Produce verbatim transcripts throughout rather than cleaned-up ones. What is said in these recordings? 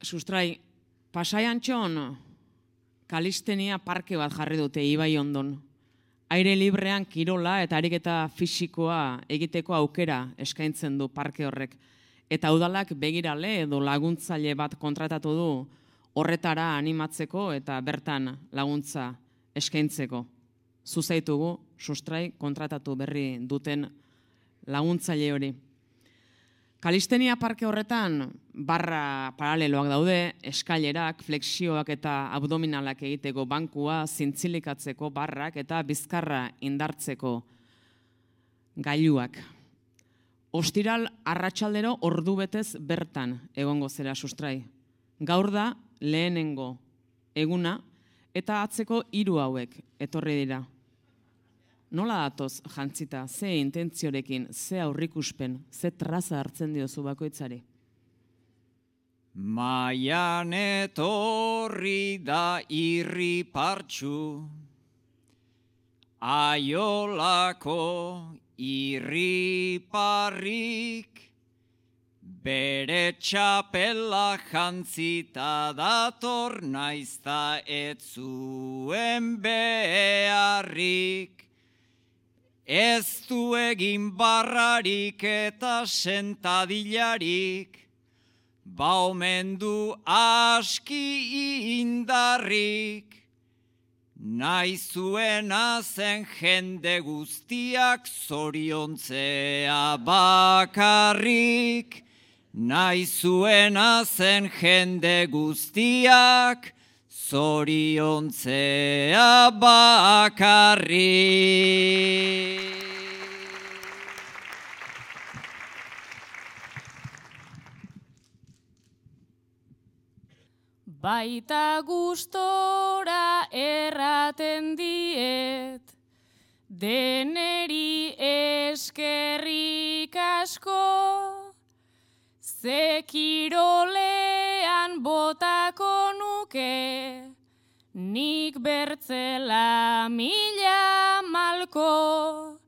Sustrai, Pasaian txon, kalistenia parke bat jarri dute Ibai ondon. Aire librean kirola eta ariketa fisikoa egiteko aukera eskaintzen du parke horrek. Eta udalak begirale edo laguntzaile bat kontratatu du horretara animatzeko eta bertan laguntza eskaintzeko. Zuzaitugu, sustrai, kontratatu berri duten laguntzaile hori. Kalistenia parke horretan barra paraleloak daude, eskailerak, flexioak eta abdominalak egiteko bankua, zintzilikatzeko barrak eta bizkarra indartzeko gailuak. Ostiral arratsaldero ordu betez bertan egongo zera sustrai. Gaur da lehenengo eguna eta atzeko hiru hauek etorri dira. Nola datoz jantzita, ze intentziorekin, ze aurrikuspen, ze traza hartzen diozu bakoitzari? Maian etorri da irri partxu, aiolako irri parrik, bere txapela jantzita dator naizta ez zuen beharrik. Ez du egin barrarik eta sentadilarik, ba omen du aski indarrik. Nahi zuena zen jende guztiak zoriontzea bakarrik. Nahi zuena zen jende guztiak zoriontzea bakarrik. Baita gustora erraten diet, deneri eskerrik asko, ze kirolean botako nuke, nik bertzela mila malko,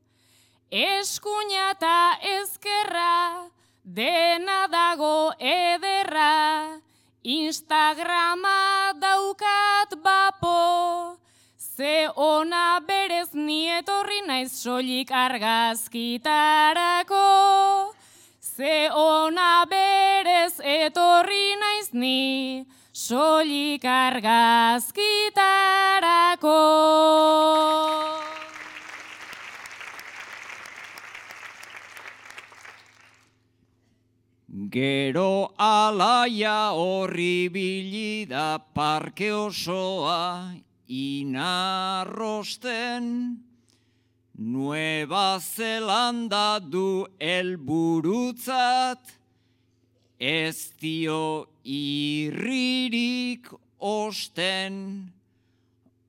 eskuina eta ezkerra, dena dago ederra, Instagrama daukat bapo, ze ona berez ni etorri naiz soilik argazkitarako. Ze ona berez etorri naiz ni soilik argazkitarako. Gero alaia horribili da parke osoa inarrosten, Nueva Zelanda du helburutzat, ez dio irririk osten,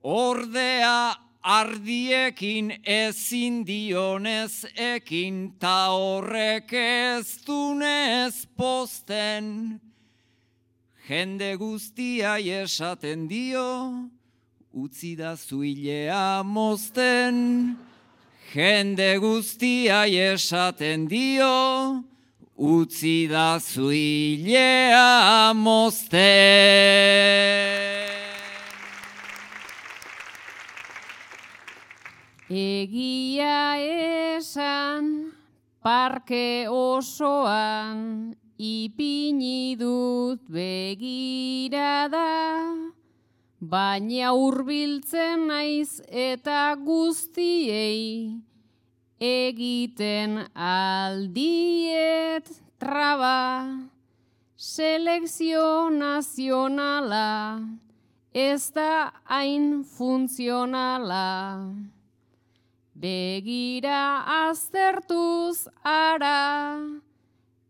ordea ardiekin ezin dionez ekin, ta horrek ez dunez posten. Jende guztiai esaten dio, utzi da zuilea mozten. Jende guztiai esaten dio, utzi da zuilea mozten. Egia esan, parke osoan, ipini dut begirada, baina hurbiltzen naiz eta guztiei, egiten aldiet traba, selekzio nazionala, ez da hain funtzionala. Begira aztertuz ara,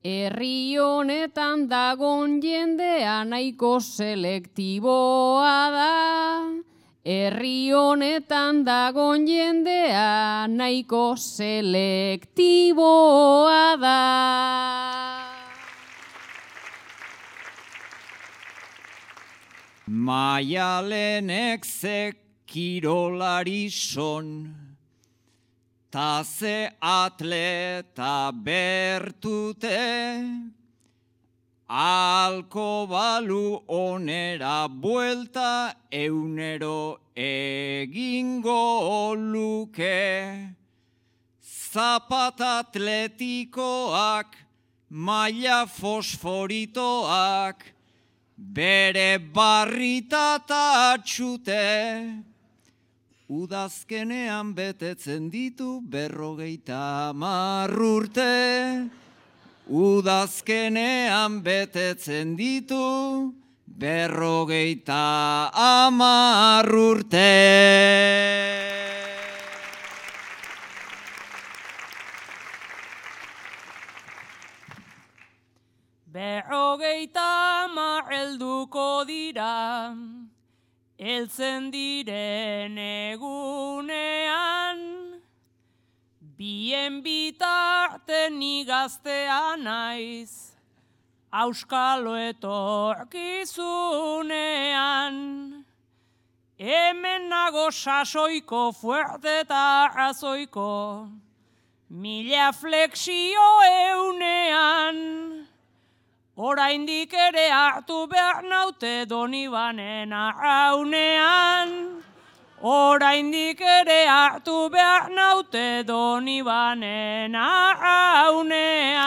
herri honetan dagon jendea nahiko selektiboa da. Herri honetan dagon jendea nahiko selektiboa da. Maialenek ze kirolari son, ta ze atleta bertute, Alko balu onera buelta eunero egingo luke. Zapata atletikoak, maila fosforitoak, bere barritata atxute. Udazkenean betetzen ditu berrogeita hamar urte. Udazkenean betetzen ditu berrogeita hamar urte. Berrogeita hamar helduko dira, heltzen diren egunean, bien bitarten ni gaztea naiz, auskalo etorkizunean. Hemen nago sasoiko, fuerte eta razoiko, mila flexio eunean. Oraindik ere hartu behar naute Donibanen arraunean. Oraindik ere hartu behar naute Donibanen arraunean.